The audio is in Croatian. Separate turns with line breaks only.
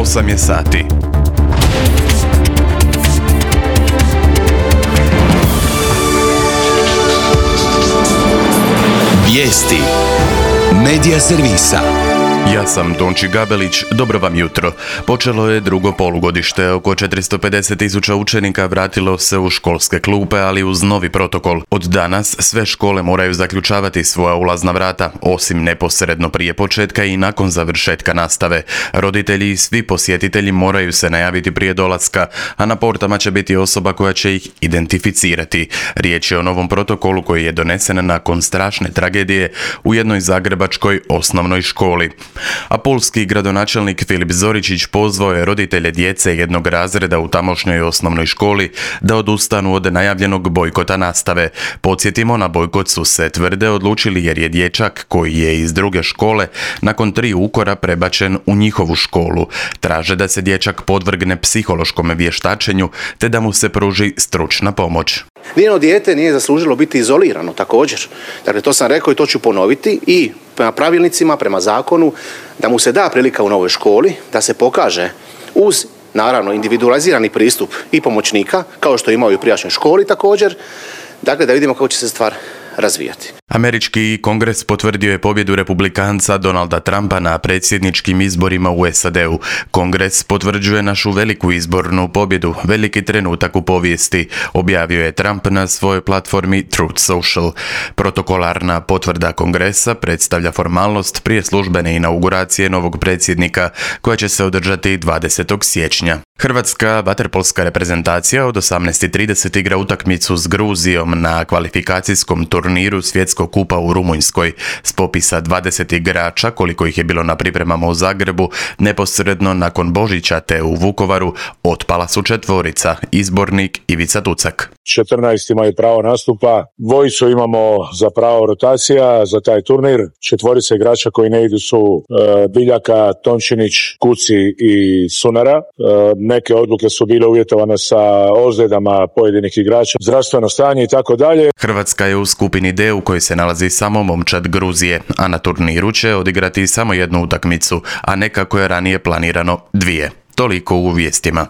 8 je sati.
Vijesti Medija servisa.
Ja sam Tonči Gabelić, dobro vam jutro. Počelo je drugo polugodište, oko 450.000 učenika vratilo se u školske klupe, ali uz novi protokol. Od danas sve škole moraju zaključavati svoja ulazna vrata, osim neposredno prije početka i nakon završetka nastave. Roditelji i svi posjetitelji moraju se najaviti prije dolaska, a na portama će biti osoba koja će ih identificirati. Riječ je o novom protokolu koji je donesen nakon strašne tragedije u jednoj zagrebačkoj osnovnoj školi. A pulski gradonačelnik Filip Zoričić pozvao je roditelje djece jednog razreda u tamošnjoj osnovnoj školi da odustanu od najavljenog bojkota nastave. Podsjetimo, na bojkot su se tvrde odlučili jer je dječak koji je iz druge škole nakon 3 ukora prebačen u njihovu školu. Traže da se dječak podvrgne psihološkom vještačenju te da mu se pruži stručna pomoć.
Nijedno dijete nije zaslužilo biti izolirano također. Dakle, to sam rekao i to ću ponoviti i prema pravilnicima, prema zakonu, da mu se da prilika u novoj školi, da se pokaže uz, naravno, individualizirani pristup i pomoćnika, kao što imao i u prijašnjoj školi također, dakle, da vidimo kako će se stvar razvijati.
Američki kongres potvrdio je pobjedu republikanca Donalda Trumpa na predsjedničkim izborima u SAD-u. Kongres potvrđuje našu veliku izbornu pobjedu, veliki trenutak u povijesti, objavio je Trump na svojoj platformi Truth Social. Protokolarna potvrda kongresa predstavlja formalnost prije službene inauguracije novog predsjednika, koja će se održati 20. siječnja. Hrvatska vaterpolska reprezentacija od 18:30 igra utakmicu s Gruzijom na kvalifikacijskom turniru Svjetskog kupa u Rumunjskoj. S popisa 20 igrača, koliko ih je bilo na pripremama u Zagrebu, neposredno nakon Božića te u Vukovaru, otpala su 4, izbornik Ivica Tucak.
14 imaju pravo nastupa, 2 imamo za pravo rotacija za taj turnir, 4 igrača koji ne idu su Biljaka, Tončinić, Kuci i Sunara. Neke odluke su bile uvjetovane sa ozljedama pojedinih igrača, zdravstveno stanje i tako dalje.
Hrvatska je u skupini D u kojoj se nalazi samo momčad Gruzije, a na turniru će odigrati samo jednu utakmicu, a ne kako je ranije planirano 2. Toliko u vijestima.